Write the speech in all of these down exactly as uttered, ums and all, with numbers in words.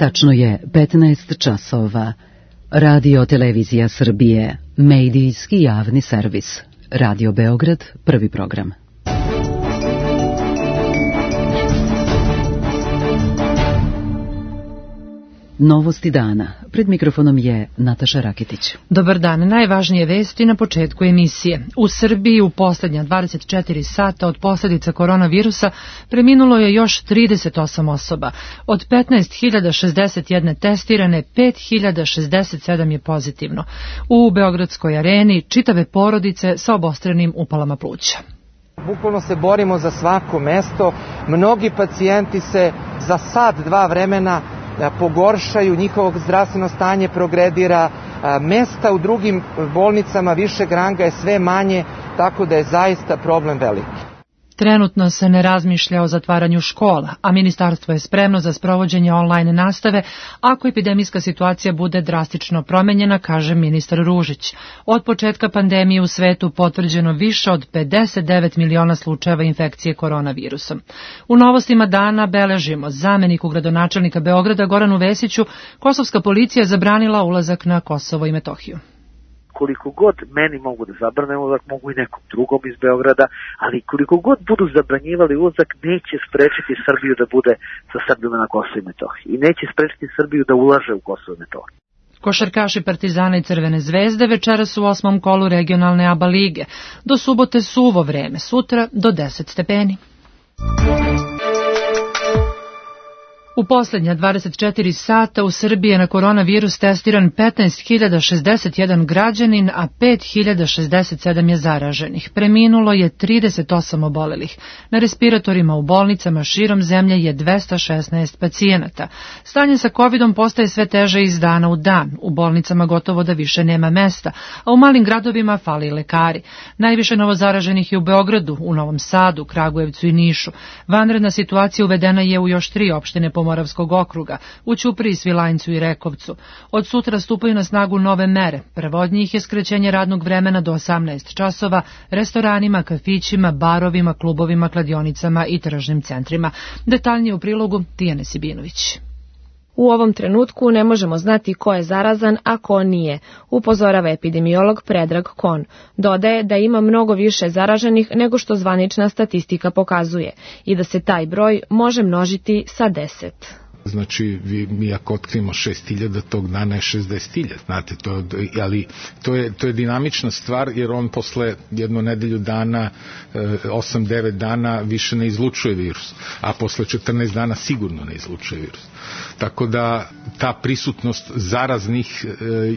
Tačno je petnaest časova. Radio Televizija Srbije, medijski javni servis. Radio Beograd, prvi program. Novosti dana. Pred mikrofonom je Nataša Rakitić. Dobar dan. Najvažnije vesti na početku emisije. U Srbiji u posljednja dvadeset četiri sata od posljedica koronavirusa preminulo je još trideset osam osoba. Od petnaest hiljada šezdeset jedan testirane, pet hiljada šezdeset sedam je pozitivno. U Beogradskoj areni čitave porodice sa obostrenim upalama pluća. Bukvalno se borimo za svako mesto. Mnogi pacijenti se za sat, dva vremena pogoršaju, njihovo zdravstveno stanje progredira, mesta u drugim bolnicama višeg ranga je sve manje, tako da je zaista problem veliki. Trenutno se ne razmišlja o zatvaranju škola, a ministarstvo je spremno za sprovođenje online nastave ako epidemijska situacija bude drastično promenjena, kaže ministar Ružić. Od početka pandemije u svetu potvrđeno više od pedeset devet miliona slučajeva infekcije koronavirusom. U novostima dana beležimo zameniku gradonačelnika Beograda Goranu Vesiću, kosovska policija zabranila ulazak na Kosovo i Metohiju. Koliko god meni mogu da zabrane ulazak, mogu i nekom drugom iz Beograda, ali koliko god budu zabranjivali ulazak, neće sprečiti Srbiju da bude sa Srbima na Kosovo i Metohiji. I neće sprečiti Srbiju da ulaže u Kosovo i Metohiju. Košarkaši Partizana i Crvene zvezde večeras u osmom kolu regionalne A B A lige. Do subote suvo vreme, sutra do deset stepeni. U posljednja dvadeset četiri sata u Srbiji je na koronavirus testiran petnaest hiljada šezdeset jedan građanin, a pet hiljada šezdeset sedam je zaraženih. Preminulo je trideset osam obolelih. Na respiratorima u bolnicama širom zemlje je dvesta šesnaest pacijenata. Stanje sa covidom postaje sve teže iz dana u dan. U bolnicama gotovo da više nema mesta, a u malim gradovima fali lekari. Najviše novozaraženih je u Beogradu, u Novom Sadu, Kragujevcu i Nišu. Vanredna situacija uvedena je u još tri opštine Pomoravskog okruga, u Ćupriji, Svilajncu i Rekovcu. Od sutra stupaju na snagu nove mere. Prva od njih je skraćenje radnog vremena do osamnaest časova restoranima, kafićima, barovima, klubovima, kladionicama i tržnim centrima. Detaljnije u prilogu Tijane Sibinović. U ovom trenutku ne možemo znati ko je zarazan, a ko nije, upozorava epidemiolog Predrag Kon. Dodaje da ima mnogo više zaraženih nego što zvanična statistika pokazuje i da se taj broj može množiti sa deset. Znači, vi, mi ako otkrimo šest hiljada, tog dana je šezdeset hiljada, znate, to, ali to je, to je dinamična stvar, jer on posle jednu nedelju dana, osam devet dana više ne izlučuje virus, a posle četrnaest dana sigurno ne izlučuje virus. Tako da ta prisutnost zaraznih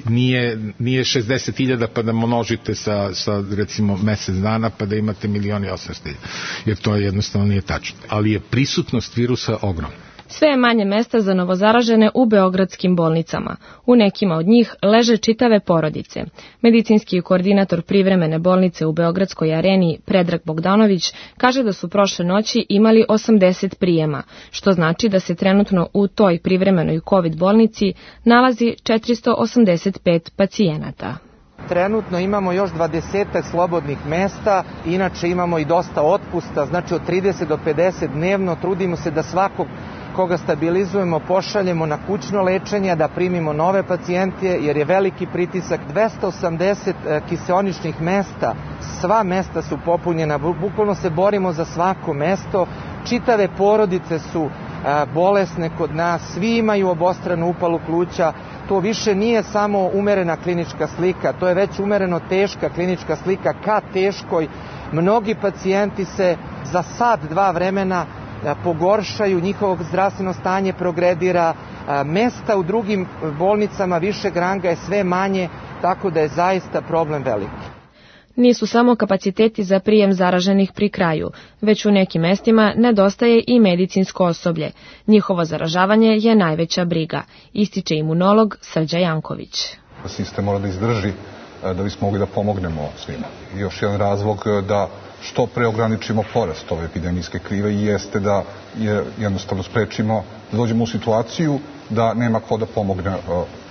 nije, nije šezdeset hiljada pa da množite sa, sa recimo mesec dana pa da imate milion i osamsto hiljada, jer to jednostavno nije tačno. Ali je prisutnost virusa ogromna. Sve je manje mesta za novozaražene u beogradskim bolnicama. U nekima od njih leže čitave porodice. Medicinski koordinator privremene bolnice u Beogradskoj areni Predrag Bogdanović kaže da su prošle noći imali osamdeset prijema, što znači da se trenutno u toj privremenoj COVID bolnici nalazi četiristo osamdeset pet pacijenata. Trenutno imamo još dvadesetak slobodnih mesta, inače imamo i dosta otpusta, znači od trideset do pedeset dnevno. Trudimo se da svakog koga stabilizujemo pošaljemo na kućno lečenje, da primimo nove pacijente, jer je veliki pritisak. dvesta osamdeset kiseoničnih mesta, sva mesta su popunjena, bukvalno se borimo za svako mesto. Čitave porodice su bolesne kod nas, svi imaju obostranu upalu pluća. To više nije samo umerena klinička slika, to je već umereno teška klinička slika ka teškoj. Mnogi pacijenti se za sat, dva vremena pogoršaju, njihovo zdravstveno stanje progredira, mesta u drugim bolnicama višeg ranga je sve manje, tako da je zaista problem veliki. Nisu samo kapaciteti za prijem zaraženih pri kraju, već u nekim mestima nedostaje i medicinsko osoblje. Njihovo zaražavanje je najveća briga, ističe imunolog Srđa Janković. Sistem mora da izdrži da bismo mogli da pomognemo svima. I još jedan razlog da što pre ograničimo porast ove epidemijske krive i jeste da je jednostavno sprečimo da dođemo u situaciju da nema ko da pomogne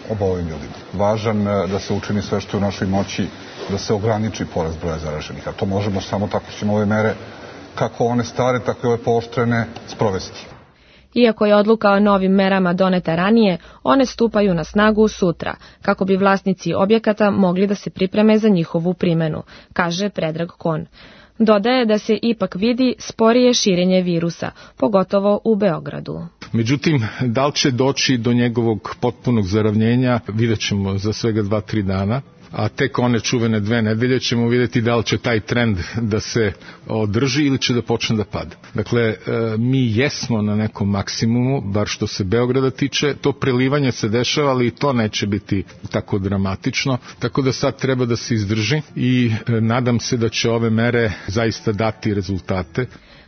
obolim ljudima. Važan da se učini sve što je u našoj moći da se ograniči porast broja zaraženih, a to možemo samo tako ćemo ove mere, kako one stare, tako i ove pooštrene, sprovesti. Iako je odluka o novim merama doneta ranije, one stupaju na snagu sutra, kako bi vlasnici objekata mogli da se pripreme za njihovu primenu, kaže Predrag Kon. Dodaje da se ipak vidi sporije širenje virusa, pogotovo u Beogradu. Međutim, da li će doći do njegovog potpunog zaravnjenja, vidjet ćemo za svega dva, tri dana. A tek one čuvene dve nedelje ćemo vidjeti da li će taj trend da se održi ili će da počne da pada. Dakle, mi jesmo na nekom maksimumu, bar što se Beograda tiče, to prelivanje se dešava, ali i to neće biti tako dramatično, tako da sad treba da se izdrži i nadam se da će ove mere zaista dati rezultate.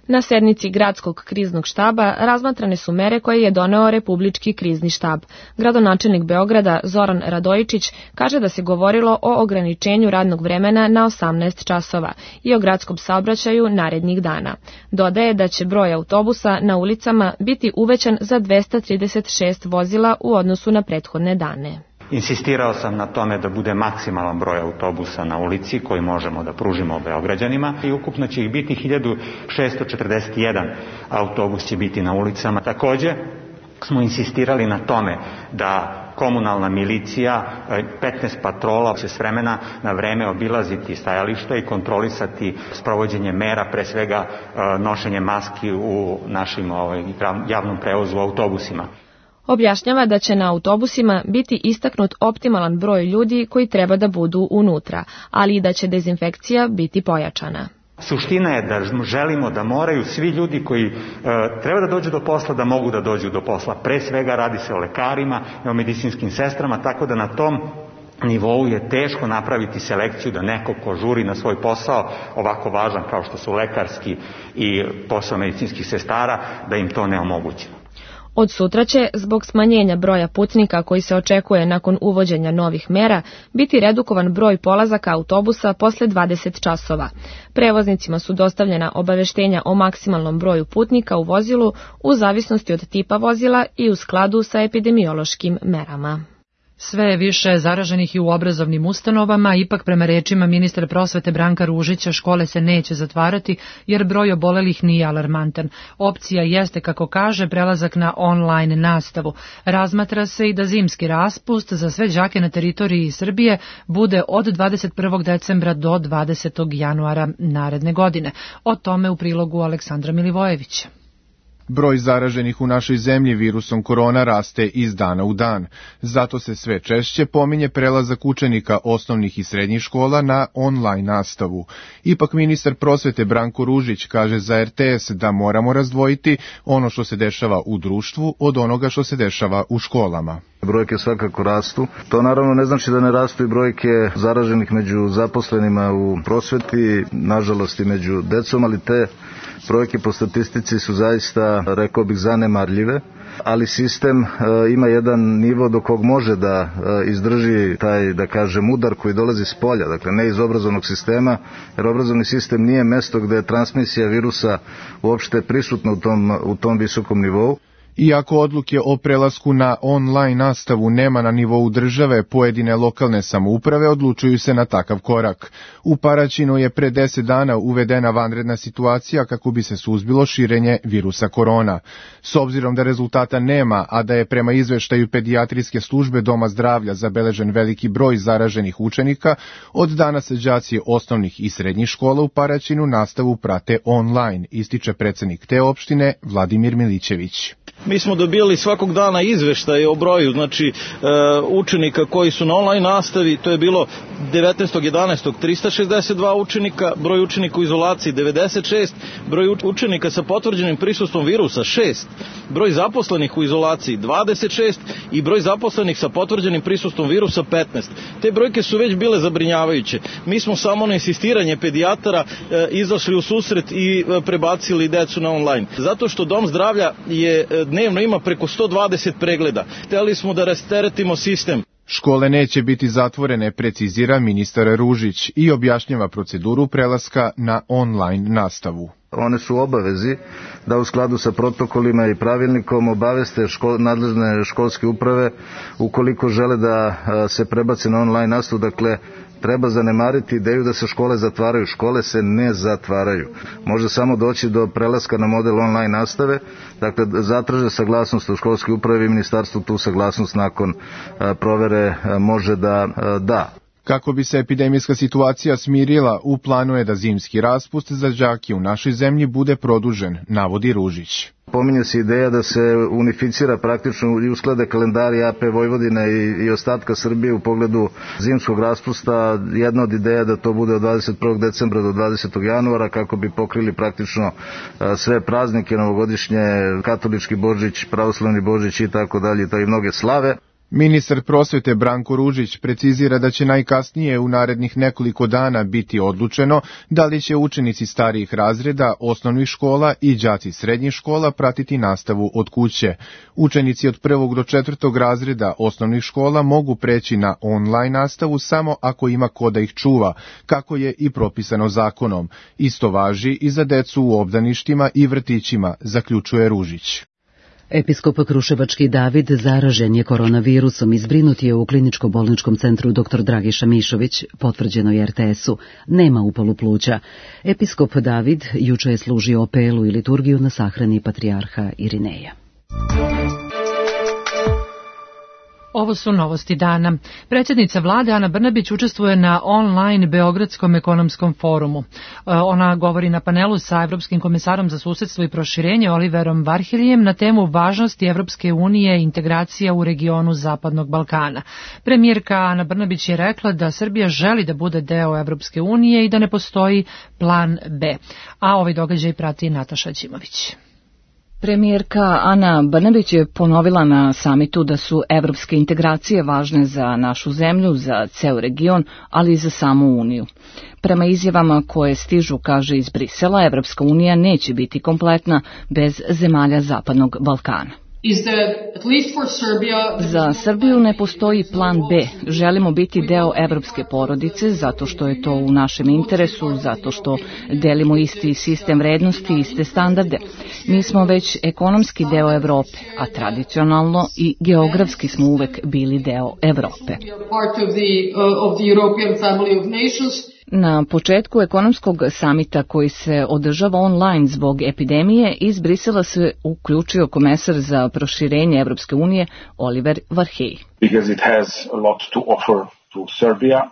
Na sednici gradskog kriznog štaba razmatrane su mere koje je doneo Republički krizni štab. Gradonačelnik Beograda Zoran Radojičić kaže da se govorilo o ograničenju radnog vremena na osamnaest časova i o gradskom saobraćaju narednih dana. Dodaje da će broj autobusa na ulicama biti uvećan za dvesta trideset šest vozila u odnosu na prethodne dane. Insistirao sam na tome da bude maksimalan broj autobusa na ulici koji možemo da pružimo Beograđanima i ukupno će ih biti hiljadu šessto četrdeset jedan autobus će biti na ulicama. Takođe smo insistirali na tome da komunalna milicija, petnaest patrola će s vremena na vreme obilaziti stajališta i kontrolisati sprovođenje mera, pre svega nošenje maski u našim ovaj, javnom prevozu u autobusima. Objašnjava da će na autobusima biti istaknut optimalan broj ljudi koji treba da budu unutra, ali i da će dezinfekcija biti pojačana. Suština je da želimo da moraju svi ljudi koji e, treba da dođu do posla, da mogu da dođu do posla. Pre svega radi se o lekarima i o medicinskim sestrama, tako da na tom nivou je teško napraviti selekciju da neko ko žuri na svoj posao, ovako važan kao što su lekarski i posao medicinskih sestara, da im to ne omogućimo. Od sutra će, zbog smanjenja broja putnika koji se očekuje nakon uvođenja novih mera, biti redukovan broj polazaka autobusa posle dvadeset časova. Prevoznicima su dostavljena obaveštenja o maksimalnom broju putnika u vozilu u zavisnosti od tipa vozila i u skladu sa epidemiološkim merama. Sve je više zaraženih i u obrazovnim ustanovama, ipak prema rečima ministra prosvete Branka Ružića škole se neće zatvarati jer broj obolelih nije alarmantan. Opcija jeste, kako kaže, prelazak na online nastavu. Razmatra se i da zimski raspust za sve đake na teritoriji Srbije bude od dvadeset prvog decembra do dvadesetog januara naredne godine. O tome u prilogu Aleksandra Milivojevića. Broj zaraženih u našoj zemlji virusom korona raste iz dana u dan. Zato se sve češće pominje prelazak učenika osnovnih i srednjih škola na online nastavu. Ipak ministar prosvete Branko Ružić kaže za er te es da moramo razdvojiti ono što se dešava u društvu od onoga što se dešava u školama. Brojke svakako rastu. To naravno ne znači da ne rastu i brojke zaraženih među zaposlenima u prosveti, nažalost i među decom, ali te brojke po statistici su zaista, rekao bih, zanemarljive, ali sistem e, ima jedan nivo do kog može da e, izdrži taj, da kažem, udar koji dolazi s polja, dakle ne iz obrazovnog sistema, jer obrazovni sistem nije mesto gde je transmisija virusa uopšte prisutna u tom, u tom visokom nivou. Iako odluke o prelasku na online nastavu nema na nivou države, pojedine lokalne samouprave odlučuju se na takav korak. U Paraćinu je pre deset dana uvedena vanredna situacija kako bi se suzbilo širenje virusa korona. S obzirom da rezultata nema, a da je prema izveštaju pedijatrijske službe Doma zdravlja zabeležen veliki broj zaraženih učenika, od danas đaci osnovnih i srednjih škola u Paraćinu nastavu prate online, ističe predsednik te opštine Vladimir Milićević. Mi smo dobili svakog dana izveštaje o broju, znači e, učenika koji su na online nastavi, to je bilo devetnaestog jedanaestog trista šezdeset dva učenika, broj učenika u izolaciji devedeset šest, broj učenika sa potvrđenim prisustvom virusa šest, broj zaposlenih u izolaciji dvadeset šest i broj zaposlenih sa potvrđenim prisustvom virusa petnaest. Te brojke su već bile zabrinjavajuće. Mi smo samo na insistiranje pedijatara e, izašli u susret i e, prebacili decu na online. Zato što Dom zdravlja je e, dnevno ima preko sto dvadeset pregleda. Hteli smo da rasteretimo sistem. Škole neće biti zatvorene, precizira ministar Ružić i objašnjava proceduru prelaska na online nastavu. One su obavezi da u skladu sa protokolima i pravilnikom obaveste škol, nadležne školske uprave ukoliko žele da se prebace na online nastavu. Dakle, treba zanemariti ideju da se škole zatvaraju. Škole se ne zatvaraju. Može samo doći do prelaska na model online nastave, dakle zatraže saglasnost u školskoj upravi i ministarstvo tu saglasnost nakon provere može da da. Kako bi se epidemijska situacija smirila, u planu je da zimski raspust za đake u našoj zemlji bude produžen, navodi Ružić. Pominje se ideja da se unificira praktično i usklade kalendari A P Vojvodine i, i ostatka Srbije u pogledu zimskog raspusta. Jedna od ideja da to bude od dvadeset prvog decembra do dvadesetog januara kako bi pokrili praktično sve praznike, novogodišnje, katolički Božić, pravoslavni Božić i tako dalje, i mnoge slave. Ministar prosvete Branko Ružić precizira da će najkasnije u narednih nekoliko dana biti odlučeno da li će učenici starijih razreda osnovnih škola i đaci srednjih škola pratiti nastavu od kuće. Učenici od prvog do četvrtog razreda osnovnih škola mogu preći na online nastavu samo ako ima ko da ih čuva, kako je i propisano zakonom. Isto važi i za decu u obdaništima i vrtićima, zaključuje Ružić. Episkop Kruševački David zaražen je koronavirusom i zbrinut je u kliničko-bolničkom centru dr Dragiša Mišović, potvrđeno je R T S-u. Nema upalu pluća. Episkop David juče je služio opelu i liturgiju na sahrani patrijarha Irineja. Ovo su novosti dana. Predsjednica vlade Ana Brnabić učestvuje na online Beogradskom ekonomskom forumu. Ona govori na panelu sa Evropskim komesarom za susedstvo i proširenje Oliverom Varheljem na temu važnosti Evropske unije i integracija u regionu Zapadnog Balkana. Premijerka Ana Brnabić je rekla da Srbija želi da bude deo Evropske unije i da ne postoji plan B. A ovaj događaj prati Nataša Ćimović. Premijerka Ana Brnabić je ponovila na samitu da su evropske integracije važne za našu zemlju, za ceo region, ali i za samu Uniju. Prema izjavama koje stižu, kaže, iz Brisela, Evropska unija neće biti kompletna bez zemalja Zapadnog Balkana. Za Srbiju ne postoji plan B. Želimo biti deo evropske porodice zato što je to u našem interesu, zato što delimo isti sistem vrednosti i iste standarde. Mi smo već ekonomski deo Evrope, a tradicionalno i geografski smo uvek bili deo Evrope. Na početku ekonomskog samita koji se održava online zbog epidemije, iz Brisela se uključio komesar za proširenje Evropske unije Oliver Varhelj.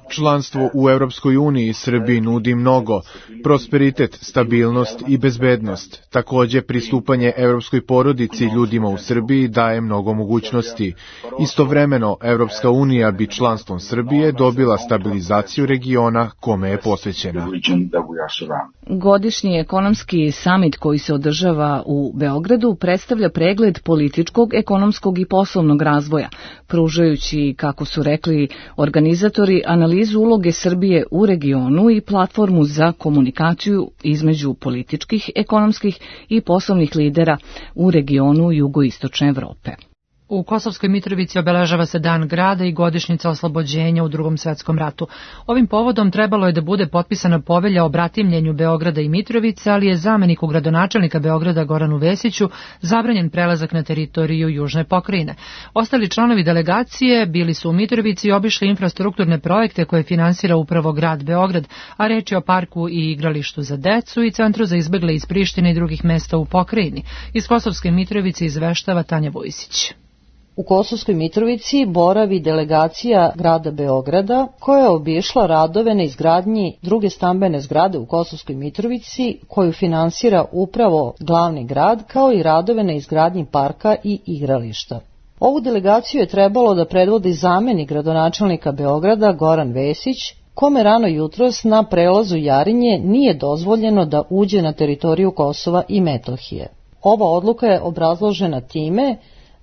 Članstvo u Evropskoj uniji Srbiji nudi mnogo, prosperitet, stabilnost i bezbednost. Također pristupanje evropskoj porodici ljudima u Srbiji daje mnogo mogućnosti. Istovremeno, Evropska unija bi članstvom Srbije dobila stabilizaciju regiona kome je posvećena. Godišnji ekonomski samit koji se održava u Beogradu predstavlja pregled političkog, ekonomskog i poslovnog razvoja, pružajući, kako su rekli organizatori, analizu uloge Srbije u regionu i platformu za komunikaciju između političkih, ekonomskih i poslovnih lidera u regionu jugoistočne Evrope. U Kosovskoj Mitrovici obeležava se Dan grada i godišnjica oslobođenja u Drugom svetskom ratu. Ovim povodom trebalo je da bude potpisana povelja o bratimljenju Beograda i Mitrovice, ali je zameniku gradonačelnika Beograda Goranu Vesiću zabranjen prelazak na teritoriju južne pokrajine. Ostali članovi delegacije bili su u Mitrovici i obišli infrastrukturne projekte koje finansira upravo grad Beograd, a reč je o parku i igralištu za decu i centru za izbegle iz Prištine i drugih mesta u pokrajini. Iz Kosovske Mitrovice izveštava Tanja Vojsić. U Kosovskoj Mitrovici boravi delegacija grada Beograda koja je obišla radove na izgradnji druge stambene zgrade u Kosovskoj Mitrovici koju finansira upravo glavni grad, kao i radove na izgradnji parka i igrališta. Ovu delegaciju je trebalo da predvodi zamenik gradonačelnika Beograda Goran Vesić, kome rano jutros na prelazu Jarinje nije dozvoljeno da uđe na teritoriju Kosova i Metohije. Ova odluka je obrazložena time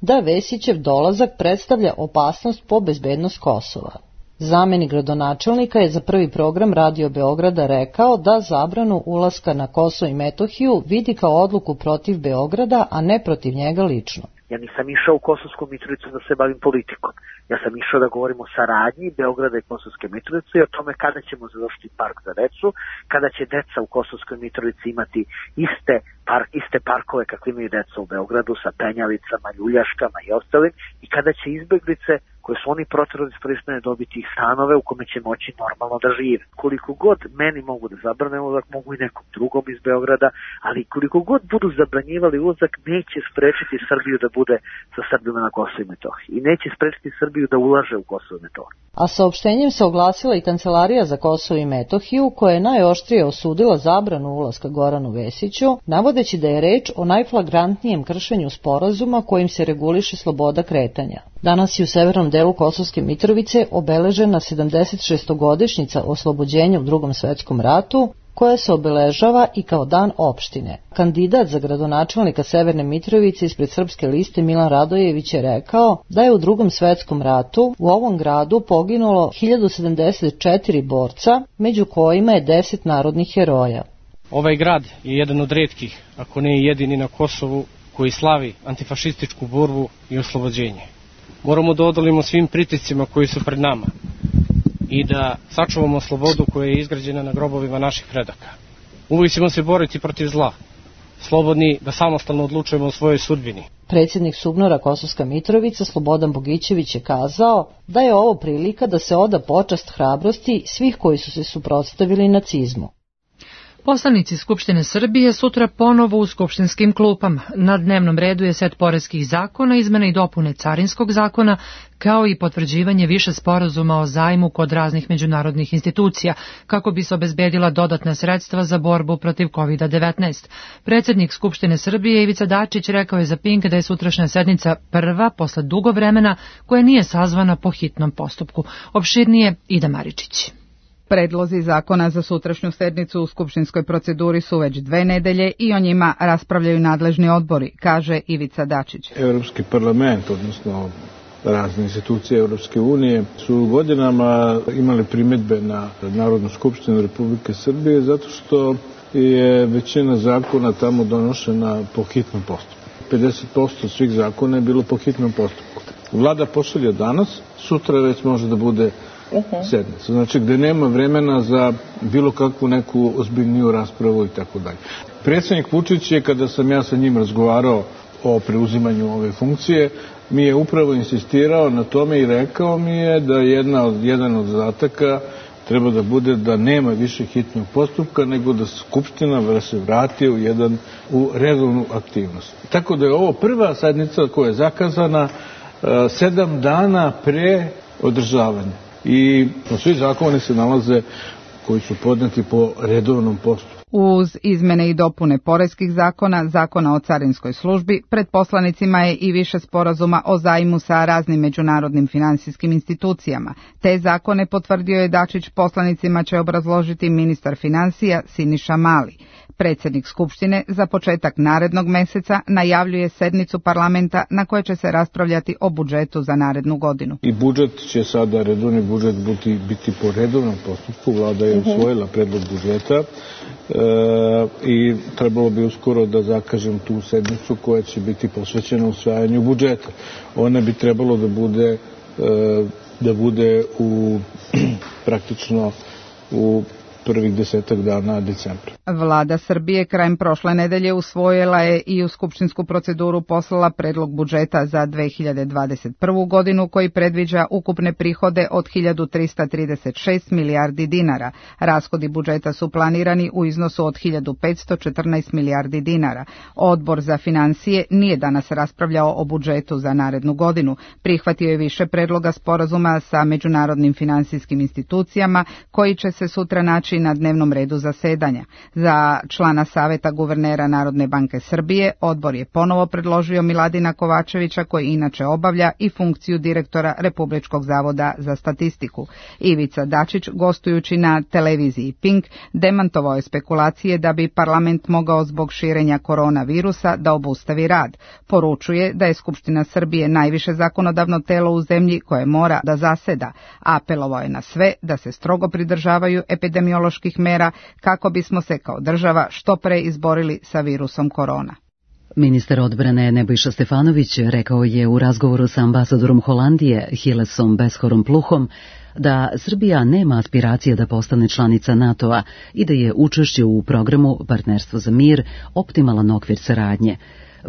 da Vesićev dolazak predstavlja opasnost po bezbednost Kosova. Zamenik gradonačelnika je za Prvi program Radio Beograda rekao da zabranu ulaska na Kosovo i Metohiju vidi kao odluku protiv Beograda, a ne protiv njega lično. Ja nisam išao u Kosovsku Mitrovicu da se bavim politikom. Ja sam išao da govorim o saradnji Beograda i Kosovske Mitrovice i o tome kada ćemo završiti park za decu, kada će deca u Kosovskoj Mitrovici imati iste, park, iste parkove kakve imaju deca u Beogradu sa penjalicama, ljuljaškama i ostalim, i kada će izbeglice koje su oni proterali iz pristane dobiti ih stanove u kome će moći normalno da žive. Koliko god meni mogu da zabrane ulazak, mogu i nekom drugom iz Beograda, ali koliko god budu zabranjivali ulazak, neće sprečiti Srbiju da bude sa Srbima na Kosovu i Metohiji i neće sprečiti Srbiju da ulaže u Kosovo i Metohiju. A saopštenjem se oglasila i Kancelarija za Kosovo i Metohiju, koja je najoštrije osudila zabranu ulaska Goranu Vesiću, navodeći da je reč o najflagrantnijem kršenju sporazuma kojim se reguliše sloboda kretanja. Danas je u severnom delu Kosovske Mitrovice obeležena sedamdeset šestogodišnjica oslobođenja u Drugom svetskom ratu, koja se obeležava i kao dan opštine. Kandidat za gradonačelnika Severne Mitrovice ispred Srpske liste Milan Radojević je rekao da je u Drugom svetskom ratu u ovom gradu poginulo hiljadu sedamdeset četiri borca, među kojima je deset narodnih heroja. Ovaj grad je jedan od retkih, ako ne i jedini na Kosovu, koji slavi antifašističku borbu i oslobođenje. Moramo da odolimo svim pritiscima koji su pred nama i da sačuvamo slobodu koja je izgrađena na grobovima naših predaka. Uvijek ćemo se boriti protiv zla, slobodni da samostalno odlučujemo o svojoj sudbini. Predsjednik SUBNOR-a Kosovska Mitrovica Slobodan Bogićević je kazao da je ovo prilika da se oda počast hrabrosti svih koji su se suprotstavili nacizmu. Poslanici Skupštine Srbije sutra ponovo u skupštinskim klupama. Na dnevnom redu je set poreskih zakona, izmene i dopune carinskog zakona, kao i potvrđivanje više sporazuma o zajmu kod raznih međunarodnih institucija, kako bi se obezbedila dodatna sredstva za borbu protiv kovid devetnaest. Predsjednik Skupštine Srbije Ivica Dačić rekao je za Pink da je sutrašnja sednica prva posle dugo vremena koja nije sazvana po hitnom postupku. Opširnije Ida Maričić. Predlozi zakona za sutrašnju sednicu u skupštinskoj proceduri su već dve nedelje i o njima raspravljaju nadležni odbori, kaže Ivica Dačić. Europski parlament, odnosno razne institucije Europske unije, su godinama imali primjedbe na Narodnu skupštinu Republike Srbije zato što je većina zakona tamo donošena po hitnom postupku. pedeset posto svih zakona je bilo po hitnom postupku. Vlada pošalje danas, sutra već može da bude sednica. Znači gde nema vremena za bilo kakvu neku ozbiljniju raspravu i tako dalje. Predsjednik Vučić je, kada sam ja sa njim razgovarao o preuzimanju ove funkcije, mi je upravo insistirao na tome i rekao mi je da jedna od, jedan od zadataka treba da bude da nema više hitnog postupka, nego da Skupština da se vrati u, jedan, u redovnu aktivnost. Tako da je ovo prva sednica koja je zakazana uh, sedam dana pre održavanja. I svi zakoni se nalaze koji su podneti po redovnom postupku. Uz izmene i dopune poreskih zakona, zakona o carinskoj službi, pred poslanicima je i više sporazuma o zajmu sa raznim međunarodnim finansijskim institucijama. Te zakone, potvrdio je Dačić, poslanicima će obrazložiti ministar finansija Siniša Mali. Predsjednik Skupštine za početak narednog meseca najavljuje sednicu parlamenta na kojoj će se raspravljati o budžetu za narednu godinu. I budžet će sada, redovni budžet, biti, biti po redovnom postupku. Vlada je usvojila predlog budžeta e, i trebalo bi uskoro da zakažem tu sednicu koja će biti posvećena usvajanju budžeta. Ona bi trebalo da bude, e, da bude u praktično u prvih desetak dana decembra. Vlada Srbije krajem prošle nedelje usvojila je i u skupštinsku proceduru poslala predlog budžeta za dve hiljade dvadeset prvu godinu koji predviđa ukupne prihode od hiljadu trista trideset šest milijardi dinara. Rashodi budžeta su planirani u iznosu od hiljadu petsto četrnaest milijardi dinara. Odbor za finansije nije danas raspravljao o budžetu za narednu godinu. Prihvatio je više predloga sporazuma sa međunarodnim finansijskim institucijama koji će se sutra naći na dnevnom redu zasedanja. Za člana Saveta guvernera Narodne banke Srbije odbor je ponovo predložio Miladina Kovačevića, koji inače obavlja i funkciju direktora Republičkog zavoda za statistiku. Ivica Dačić, gostujući na televiziji Pink, demantovao je spekulacije da bi parlament mogao zbog širenja koronavirusa da obustavi rad. Poručuje da je Skupština Srbije najviše zakonodavno telo u zemlji koje mora da zaseda. Apelovao je na sve da se strogo pridržavaju epidemioloških mera kako bismo se kao država što pre izborili sa virusom korona. Ministar odbrane Nebojša Stefanović rekao je u razgovoru sa ambasadorom Holandije Hilesom Beshorom Pluhom da Srbija nema aspiracije da postane članica NATO-a i da je učešće u programu Partnerstvo za mir optimalan okvir saradnje.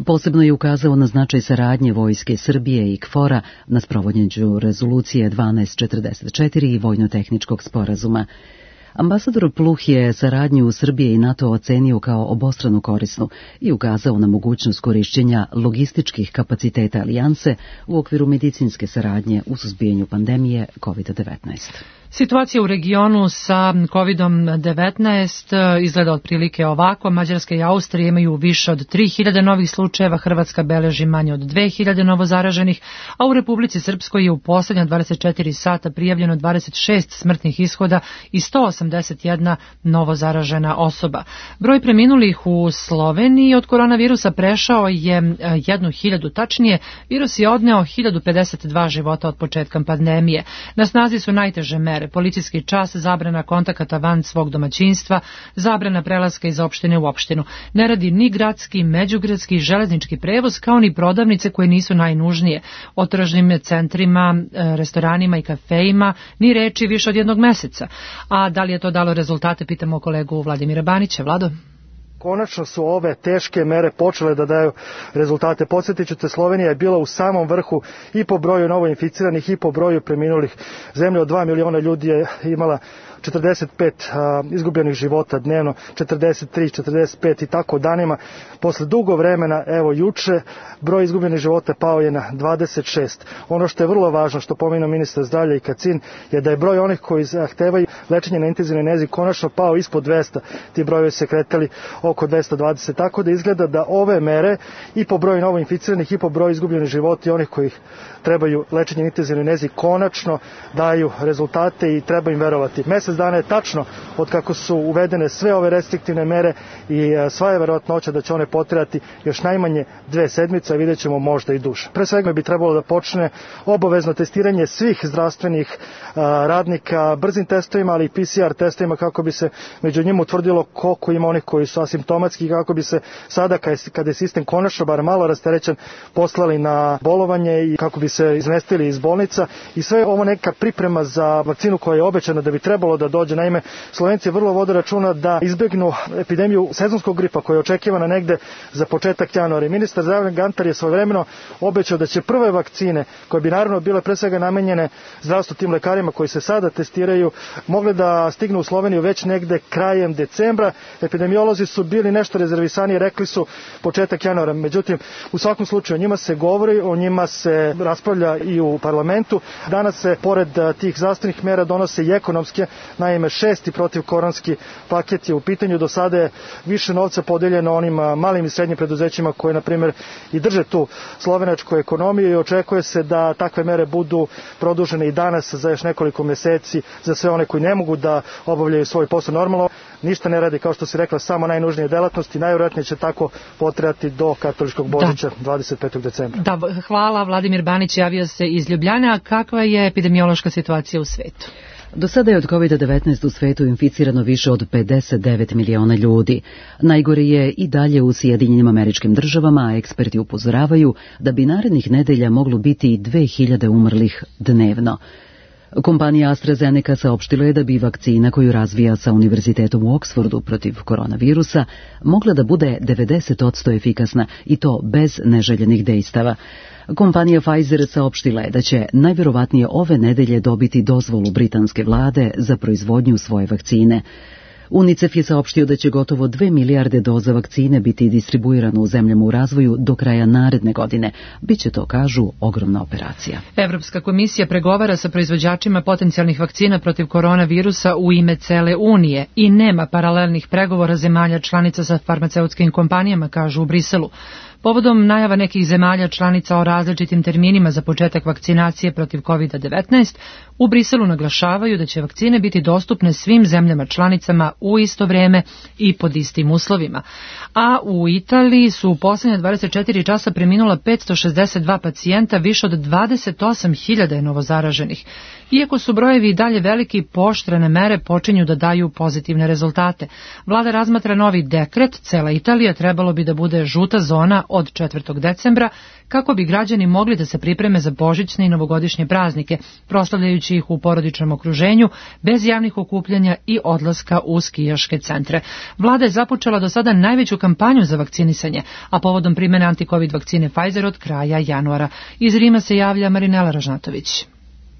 Posebno je ukazao na značaj saradnje Vojske Srbije i KFOR-a na sprovođenju rezolucije dvanaest četrdeset četiri i vojno-tehničkog sporazuma. Ambasador Pluh je saradnju Srbije i NATO ocenio kao obostrano korisnu i ukazao na mogućnost korišćenja logističkih kapaciteta alijanse u okviru medicinske saradnje u suzbijanju pandemije kovid devetnaest. Situacija u regionu sa kovid devetnaest izgleda otprilike ovako. Mađarska i Austrija imaju više od tri hiljade novih slučajeva, Hrvatska beleži manje od dve hiljade novozaraženih, a u Republici Srpskoj je u poslednja dvadeset četiri sata prijavljeno dvadeset šest smrtnih ishoda i sto osamdeset jedna novozaražena osoba. Broj preminulih u Sloveniji od koronavirusa prešao je jednu hiljadu, tačnije, virus je odneo hiljadu pedeset dva života od početka pandemije. Na snazi su najteže mere: policijski čas, zabrana kontakata van svog domaćinstva, zabrana prelaska iz opštine u opštinu. Ne radi ni gradski, međugradski, železnički prevoz, kao ni prodavnice koje nisu najnužnije. O tržnim centrima, restoranima i kafejima ni reči više od jednog meseca. A da li je to dalo rezultate, pitamo kolegu Vladimira Banića. Vlado? Konačno su ove teške mere počele da daju rezultate. Podsjetit ću te, Slovenija je bila u samom vrhu i po broju novoinficiranih i po broju preminulih. Zemlja od dva miliona ljudi je imala četrdeset pet a, izgubljenih života dnevno, četrdeset tri, četrdeset pet i tako danima. Posle dugo vremena, evo juče, broj izgubljenih života pao je na dvadeset šest. Ono što je vrlo važno, što pomenuo ministar zdravlja i Kacin, je da je broj onih koji zahtevaju lečenje na intenzivnoj nezi konačno pao ispod dvesta. Ti brojevi se kretali oko dvesta dvadeset, tako da izgleda da ove mere i po broju novoinficiranih i po broju izgubljenih života i onih koji trebaju lečenje na intenzivnoj nezi konačno daju rezultate i treba im verovati. Mesec dana je tačno od kako su uvedene sve ove restriktivne mere i sva je verovatnoća da će one potrajati još najmanje dve sedmice, a vidjet ćemo možda i duže. Pre svega bi trebalo da počne obavezno testiranje svih zdravstvenih radnika brzim testovima, ali i P C R testovima, kako bi se među njima utvrdilo koliko ima onih koji su asimptomatski, kako bi se sada kada je sistem konačno bar malo rasterećen poslali na bolovanje i kako bi se izmestili iz bolnica. I sve ovo neka priprema za vakcinu koja je obećana da bi trebalo da dođe. Naime, Slovenci vrlo vode računa da izbegnu epidemiju sezonskog gripa koja je očekivana negde za početak januara. Ministar zdravlja Gantar je svojevremeno obećao da će prve vakcine, koje bi naravno bile pre svega namenjene zdravstvu tim lekarima koji se sada testiraju, mogle da stignu u Sloveniju već negde krajem decembra. Epidemiolozi su bili nešto rezervisaniji, rekli su početak januara. Međutim, u svakom slučaju o njima se govori, o njima se raspravlja i u parlamentu. Danas se pored tih zdravstvenih mera donose i ekonomske. Naime, šesti protivkoronski paket je u pitanju. Do sada je više novca podeljeno onim malim i srednjim preduzećima koje, na primjer, i drže tu slovenačku ekonomiju, i očekuje se da takve mere budu produžene i danas za još nekoliko meseci za sve one koji ne mogu da obavljaju svoj posao normalno. Ništa ne radi, kao što si rekla, samo najnužnije delatnosti. Najvjerojatnije će tako potrajati do katoličkog Božića, da. dvadeset petog decembra. Da, hvala. Vladimir Banić javio se iz Ljubljana. Kakva je epidemiološka situacija u svetu? Do sada je od kovid devetnaest u svetu inficirano više od pedeset devet miliona ljudi. Najgore je i dalje u Sjedinjenim Američkim Državama, a eksperti upozoravaju da bi narednih nedelja moglo biti i dve hiljade umrlih dnevno. Kompanija AstraZeneca saopštila je da bi vakcina koju razvija sa Univerzitetom u Oksfordu protiv koronavirusa mogla da bude devedeset posto efikasna, i to bez neželjenih dejstava. Kompanija Pfizer saopštila je da će najverovatnije ove nedelje dobiti dozvolu britanske vlade za proizvodnju svoje vakcine. UNICEF je saopštio da će gotovo dve milijarde doza vakcine biti distribuirano u zemljama u razvoju do kraja naredne godine. Biće to, kažu, ogromna operacija. Evropska komisija pregovara sa proizvođačima potencijalnih vakcina protiv koronavirusa u ime cele Unije i nema paralelnih pregovora zemalja članica sa farmaceutskim kompanijama, kažu u Briselu. Povodom najava nekih zemalja članica o različitim terminima za početak vakcinacije protiv kovid devetnaest, u Briselu naglašavaju da će vakcine biti dostupne svim zemljama članicama u isto vreme i pod istim uslovima. A u Italiji su u posljednje dvadeset četiri časa preminula petsto šezdeset dva pacijenta, više od dvadeset osam hiljada je novozaraženih. Iako su brojevi i dalje veliki, pooštrene mere počinju da daju pozitivne rezultate. Vlada razmatra novi dekret, cela Italija trebalo bi da bude žuta zona od četvrtog decembra, kako bi građani mogli da se pripreme za božićne i novogodišnje praznike, proslavljajući ih u porodičnom okruženju, bez javnih okupljanja i odlaska u skijaške centre. Vlada je započela do sada najveću kampanju za vakcinisanje, a povodom primjene antikovid vakcine Pfizer od kraja januara. Iz Rima se javlja Marinela Ražnatović.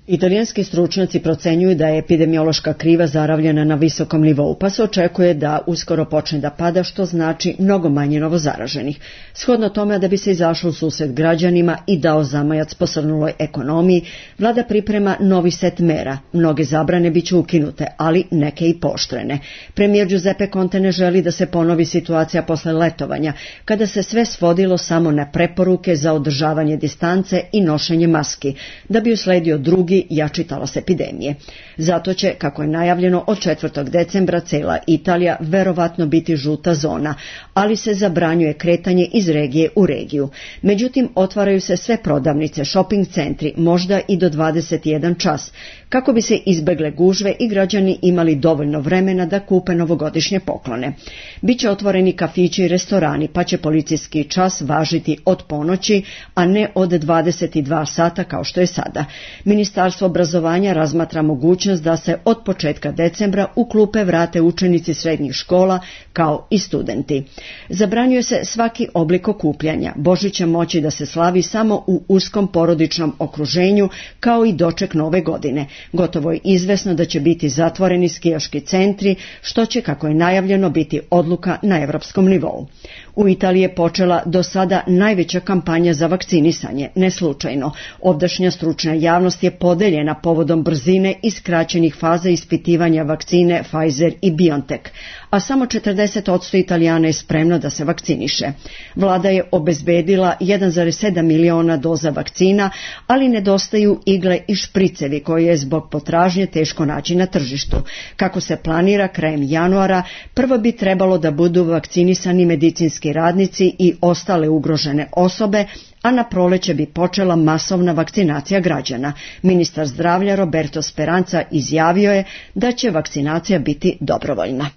Italijanski stručnjaci procenjuju da je epidemiološka kriva zaravljena na visokom nivou, pa se očekuje da uskoro počne da pada, što znači mnogo manje novozaraženih. Shodno tome, da bi se izašlo u susret građanima i dao zamajac posrnuloj ekonomiji, vlada priprema novi set mera. Mnoge zabrane biće ukinute, ali neke i pooštrene. Premijer Giuseppe Conte ne želi da se ponovi situacija posle letovanja, kada se sve svodilo samo na preporuke za održavanje distance i nošenje maski, da bi usledio drugi jači talas epidemije. Zato će, kako je najavljeno, od četvrtog decembra cela Italija verovatno biti žuta zona, ali se zabranjuje kretanje iz regije u regiju. Međutim, otvaraju se sve prodavnice, shopping centri, možda i do dvadeset jedan čas, kako bi se izbegle gužve i građani imali dovoljno vremena da kupe novogodišnje poklone. Biće otvoreni kafići i restorani, pa će policijski čas važiti od ponoći, a ne od dvadeset dva sata kao što je sada. Ministarstvo obrazovanja razmatra mogućnost da se od početka decembra u klupe vrate učenici srednjih škola kao i studenti. Zabranjuje se svaki oblik okupljanja. Božić će moći da se slavi samo u uskom porodičnom okruženju, kao i doček nove godine. Gotovo je izvesno da će biti zatvoreni skijaški centri, što će, kako je najavljeno, biti odluka na evropskom nivou. U Italiji je počela do sada najveća kampanja za vakcinisanje, ne slučajno. Ovdašnja stručna javnost je podeljena povodom brzine i skraćenih faza ispitivanja vakcine Pfizer i BioNTech, a samo četrdeset posto Italijana je spremno da se vakciniše. Vlada je obezbedila jedan zarez sedam miliona doza vakcina, ali nedostaju igle i špricevi koje je zbog potražnje teško naći na tržištu. Kako se planira, krajem januara prvo bi trebalo da budu vakcinisani medicinski radnici i ostale ugrožene osobe, a na proleće bi počela masovna vakcinacija građana. Ministar zdravlja Roberto Speranza izjavio je da će vakcinacija biti dobrovoljna.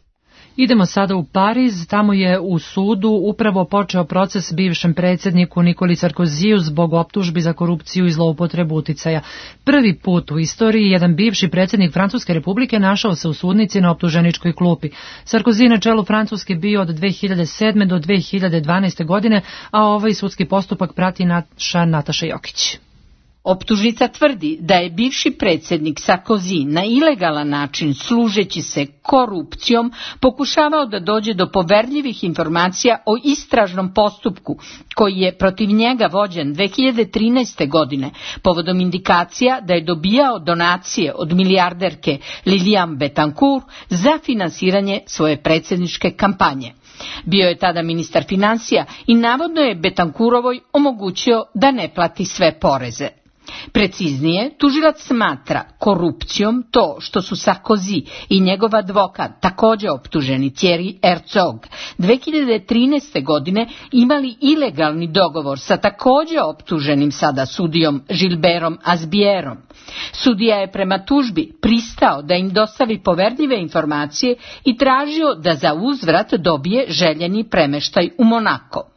Idemo sada u Pariz, tamo je u sudu upravo počeo proces bivšem predsjedniku Nikoli Sarkoziju zbog optužbi za korupciju i zloupotrebu uticaja. Prvi put u istoriji jedan bivši predsjednik Francuske republike našao se u sudnici na optuženičkoj klupi. Sarkozy na čelu Francuske bio od dve hiljade sedme do dve hiljade dvanaeste godine, a ovaj sudski postupak prati naša Nataša Jokić. Optužnica tvrdi da je bivši predsjednik Sarkozy na ilegalan način, služeći se korupcijom, pokušavao da dođe do poverljivih informacija o istražnom postupku koji je protiv njega vođen dve hiljade trinaeste. godine povodom indikacija da je dobijao donacije od milijarderke Liliane Bettencourt za finansiranje svoje predsjedničke kampanje. Bio je tada ministar financija i navodno je Bettencourtovoj omogućio da ne plati sve poreze. Preciznije, tužilac smatra korupcijom to što su Sarkozy i njegov advokat, također optuženi Thierry Herzog, dve hiljade trinaeste. godine imali ilegalni dogovor sa također optuženim sada sudijom Gilbertom Azbierom. Sudija je prema tužbi pristao da im dostavi poverljive informacije i tražio da za uzvrat dobije željeni premeštaj u Monako.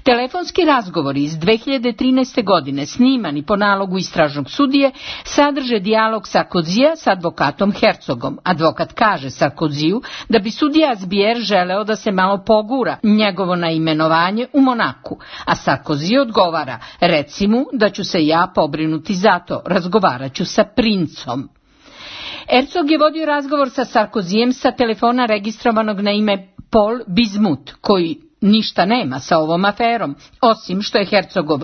Telefonski razgovori iz dve hiljade trinaeste. godine, snimani po nalogu istražnog sudije, sadrže dijalog Sarkozyja s advokatom Herzogom. Advokat kaže Sarkozyju da bi sudija Azbier želeo da se malo pogura njegovo naimenovanje u Monaku, a Sarkozy odgovara: reci mu da ću se ja pobrinuti za to, razgovarat ću sa princom. Herzog je vodio razgovor sa Sarkozyjem sa telefona registrovanog na ime Paul Bismuth, koji ništa nema sa ovom aferom, osim što je Herzogov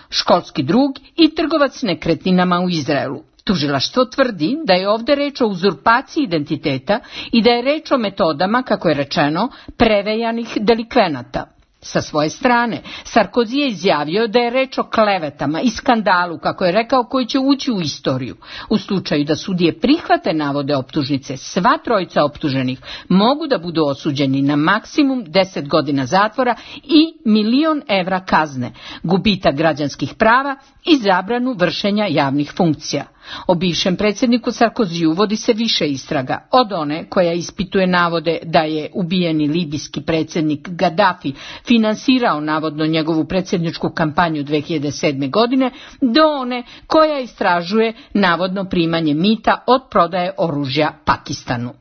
školski drug i trgovac nekretninama u Izraelu. Tužilaštvo tvrdi da je ovdje reč o uzurpaciji identiteta i da je reč o metodama, kako je rečeno, prevejanih delikvenata. Sa svoje strane, Sarkozy je izjavio da je reč o klevetama i skandalu, kako je rekao, koji će ući u istoriju. U slučaju da sudije prihvate navode optužnice, sva trojica optuženih mogu da budu osuđeni na maksimum deset godina zatvora i milion evra kazne, gubitak građanskih prava i zabranu vršenja javnih funkcija. O bivšem predsjedniku Sarkozyju vodi se više istraga, od one koja ispituje navode da je ubijeni libijski predsjednik Gaddafi finansirao navodno njegovu predsjedničku kampanju dve hiljade sedme. godine, do one koja istražuje navodno primanje mita od prodaje oružja Pakistanu.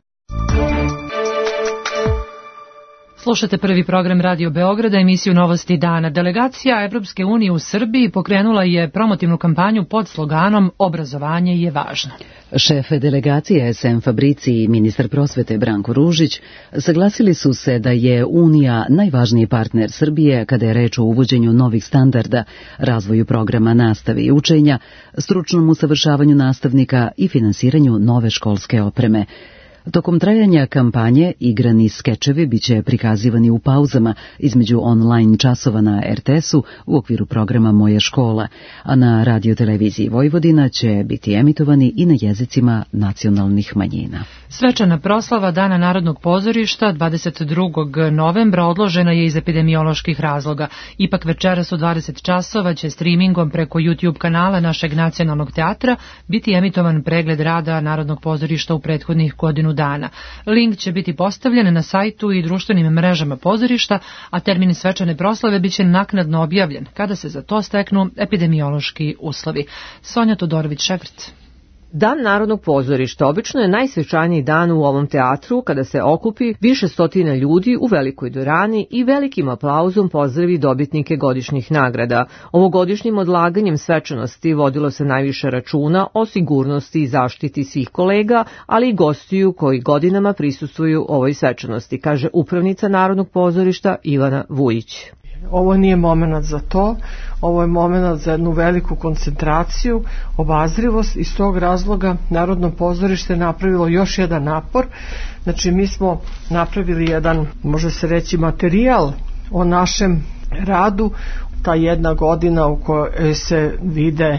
Slušate prvi program Radio Beograda, emisiju Novosti dana. Delegacija Evropske unije u Srbiji pokrenula je promotivnu kampanju pod sloganom Obrazovanje je važno. Šef delegacije S M Fabrici i ministar prosvete Branko Ružić saglasili su se da je Unija najvažniji partner Srbije kada je reč o uvođenju novih standarda, razvoju programa nastave i učenja, stručnom usavršavanju nastavnika i finansiranju nove školske opreme. Tokom trajanja kampanje igrani skečevi biće prikazivani u pauzama između online časova na R T S-u u okviru programa Moja škola, a na radioteleviziji Vojvodina će biti emitovani i na jezicima nacionalnih manjina. Svečana proslava Dana Narodnog pozorišta dvadeset drugog novembra odložena je iz epidemioloških razloga. Ipak večeras u dvadeset časova će streamingom preko YouTube kanala našeg nacionalnog teatra biti emitovan pregled rada Narodnog pozorišta u prethodnih godinu dana. Link će biti postavljen na sajtu i društvenim mrežama pozorišta, a termin svečane proslave biće naknadno objavljen kada se za to steknu epidemiološki uslovi. Sonja Todorović-Šegrc. Dan Narodnog pozorišta obično je najsvečaniji dan u ovom teatru kada se okupi više stotina ljudi u velikoj dvorani i velikim aplauzom pozdravi dobitnike godišnjih nagrada. Ovogodišnjim odlaganjem svečanosti vodilo se najviše računa o sigurnosti i zaštiti svih kolega, ali i gostiju koji godinama prisustvuju ovoj svečanosti, kaže upravnica Narodnog pozorišta Ivana Vujić. Ovo nije moment za to, ovo je moment za jednu veliku koncentraciju, obazrivost. Iz tog razloga Narodno pozorište je napravilo još jedan napor. Znači mi smo napravili jedan, može se reći, materijal o našem radu, ta jedna godina u kojoj se vide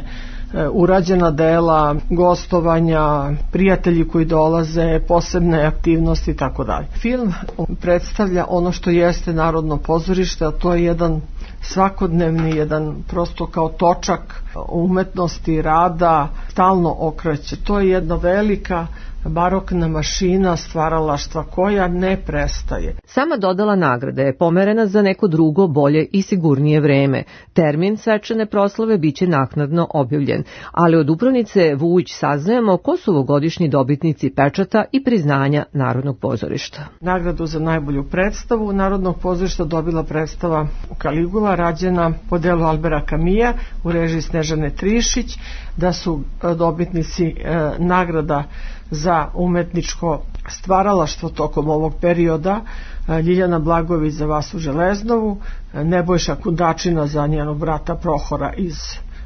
urađena dela, gostovanja, prijatelji koji dolaze, posebne aktivnosti i tako dalje. Film predstavlja ono što jeste Narodno pozorište, a to je jedan svakodnevni, jedan prosto kao točak umetnosti, rada, stalno okreće. To je jedna velika barokna mašina stvaralaštva koja ne prestaje. Sama dodala nagrade je pomerena za neko drugo, bolje i sigurnije vreme. Termin svečane proslave biće naknadno objavljen, ali od upravnice Vujić saznajemo ko su ovogodišnji dobitnici pečata i priznanja Narodnog pozorišta. Nagradu za najbolju predstavu Narodnog pozorišta dobila predstava Kaligula, rađena po delu Albera Kamija u režiji Snežane Trišić, da su dobitnici e, nagrada za umetničko stvaralaštvo tokom ovog perioda Ljiljana Blagović za Vasu Železnovu, Nebojša Kundačina za njenog brata Prohora iz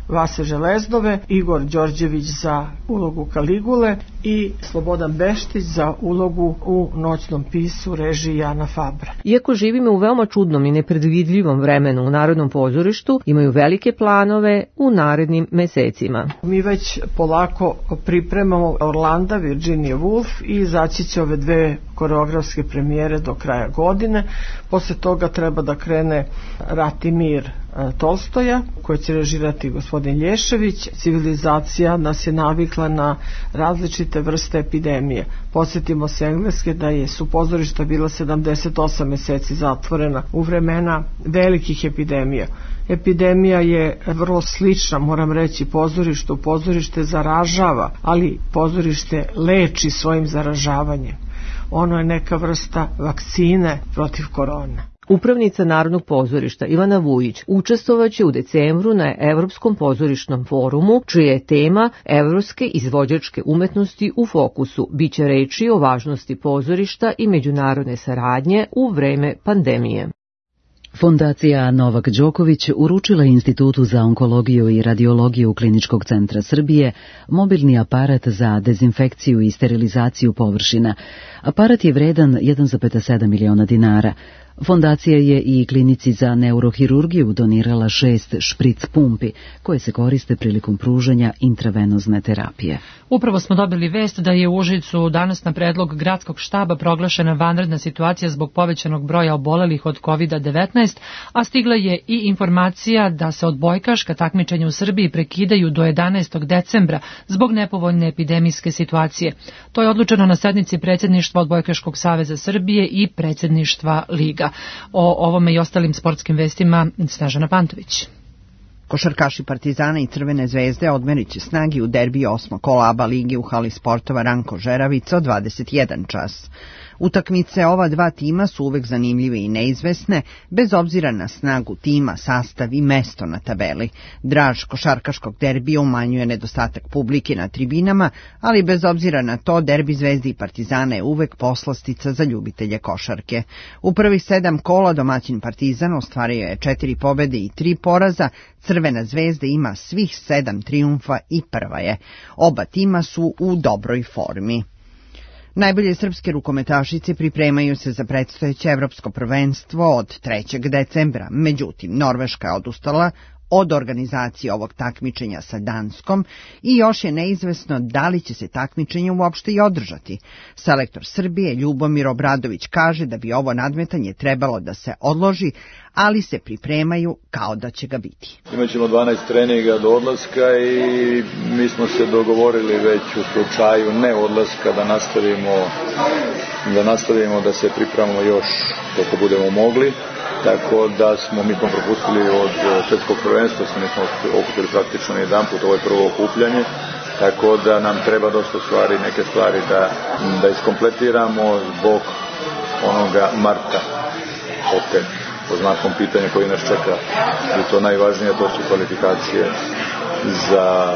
Vase Železnove, Igor Đorđević za ulogu Kaligule i Slobodan Beštić za ulogu u Noćnom pisu režiji Jana Fabra. Iako živimo u veoma čudnom i nepredvidljivom vremenu u Narodnom pozorištu, imaju velike planove u narednim mesecima. Mi već polako pripremamo Orlanda, Virginia Woolf i izaći će ove dve koreografske premijere do kraja godine. Posle toga treba da krene Rat i mir Tolstoja, koji će režirati gospodin Lješević. Civilizacija nas je navikla na različite vrste epidemije. Podsjetimo se Engleske da je su pozorišta bila sedamdeset osam meseci zatvorena u vremena velikih epidemija. Epidemija je vrlo slična, moram reći, pozorištu. Pozorište zaražava, ali pozorište leči svojim zaražavanjem. Ono je neka vrsta vakcine protiv korone. Upravnica Narodnog pozorišta Ivana Vujić učestvovaće u decembru na Evropskom pozorišnom forumu, čija je tema Evropske izvođačke umetnosti u fokusu. Biće reči o važnosti pozorišta i međunarodne saradnje u vreme pandemije. Fondacija Novak Đoković uručila Institutu za onkologiju i radiologiju Kliničkog centra Srbije mobilni aparat za dezinfekciju i sterilizaciju površina. Aparat je vredan jedan zarez sedam miliona dinara. Fondacija je i klinici za neurohirurgiju donirala šest špric pumpi koje se koriste prilikom pružanja intravenozne terapije. Upravo smo dobili vest da je u Užicu danas na predlog gradskog štaba proglašena vanredna situacija zbog povećanog broja obolelih od kovid devetnaest, a stigla je i informacija da se odbojkaška takmičenja u Srbiji prekidaju do jedanaestog decembra zbog nepovoljne epidemijske situacije. To je odlučeno na sednici predsjedništva Odbojkaškog saveza Srbije i predsjedništva Liga. O ovome i ostalim sportskim vestima Snežana Pantović. Košarkaši Partizana i Crvene zvezde odmerit će snagi u derbiju osmog kola A B A lige u hali sportova Ranko Žeravica od dvadeset jedan čas. Utakmice ova dva tima su uvek zanimljive i neizvesne, bez obzira na snagu tima, sastav i mesto na tabeli. Draž košarkaškog derbija umanjuje nedostatak publike na tribinama, ali bez obzira na to derbi Zvezde i Partizana je uvek poslastica za ljubitelje košarke. U prvih sedam kola domaćin Partizan ostvario je četiri pobede i tri poraza, Crvena zvezda ima svih sedam trijumfa i prva je. Oba tima su u dobroj formi. Najbolje srpske rukometašice pripremaju se za predstojeće evropsko prvenstvo od trećeg decembra, međutim Norveška je odustala od organizacije ovog takmičenja sa Danskom i još je neizvesno da li će se takmičenje uopšte i održati. Selektor Srbije Ljubomir Obradović kaže da bi ovo nadmetanje trebalo da se odloži, ali se pripremaju kao da će ga biti. Imaćemo dvanaest treninga do odlaska i mi smo se dogovorili već u slučaju ne odlaska da nastavimo da nastavimo da se pripremamo još koliko budemo mogli. Tako da smo, mi smo propustili od svetskog prvenstva, mi smo okupili praktično jedan put, ovo je prvo okupljanje, tako da nam treba dosta stvari, neke stvari da, da iskompletiramo zbog onoga marta, opet, po znakom pitanja koji nas čeka. I to najvažnije, to su kvalifikacije za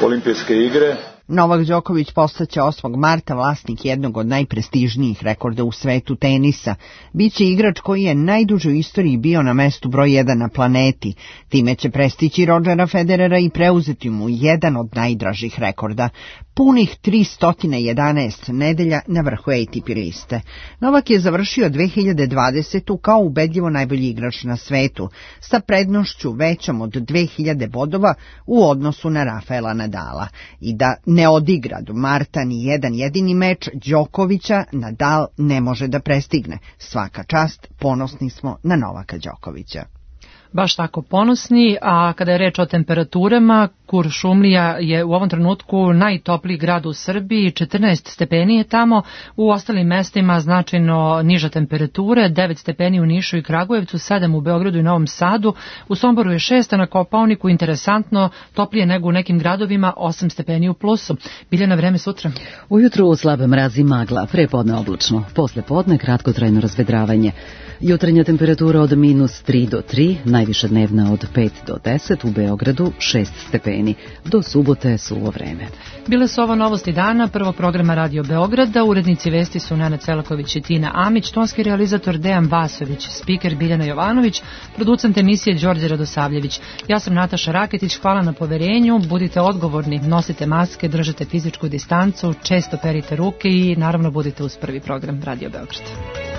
olimpijske igre. Novak Đoković postaće osmog marta vlasnik jednog od najprestižnijih rekorda u svetu tenisa. Biće igrač koji je najduže u istoriji bio na mestu broj jedan na planeti. Time će prestići Rodgera Federera i preuzeti mu jedan od najdražih rekorda. Punih tristo jedanaest nedelja na vrhu A T P liste. Novak je završio dve hiljade dvadesete. kao ubedljivo najbolji igrač na svetu, sa prednošću većom od dve hiljade bodova u odnosu na Rafaela Nadala. I da ne odigra do marta ni jedan jedini meč, Đokovića Nadal ne može da prestigne. Svaka čast, ponosni smo na Novaka Đokovića. Baš tako ponosni, a kada je reč o temperaturama, Kuršumlija je u ovom trenutku najtopliji grad u Srbiji, četrnaest stepeni je tamo, u ostalim mestima značajno niža temperature, devet stepeni u Nišu i Kragujevcu, sedam u Beogradu i Novom Sadu, u Somboru je šest, a na Kopaoniku interesantno toplije nego u nekim gradovima, osam stepeni u plusu. Biljana, vreme sutra. Ujutru slabe mrazi magla, prepodne oblačno, posle podne kratkotrajno razvedravanje. Jutarnja temperatura od minus tri do tri, najviša dnevna od pet do deset, u Beogradu šest stepeni. Do subote suvo vreme. Bile su ovo novosti dana, prvog programa Radio Beograda, urednici vesti su Nenad Celaković i Tina Amić, tonski realizator Dejan Vasović, spiker Biljana Jovanović, producent emisije Đorđe Radosavljević. Ja sam Nataša Raketić, hvala na poverenju, budite odgovorni, nosite maske, držite fizičku distancu, često perite ruke i naravno budite uz prvi program Radio Beograda.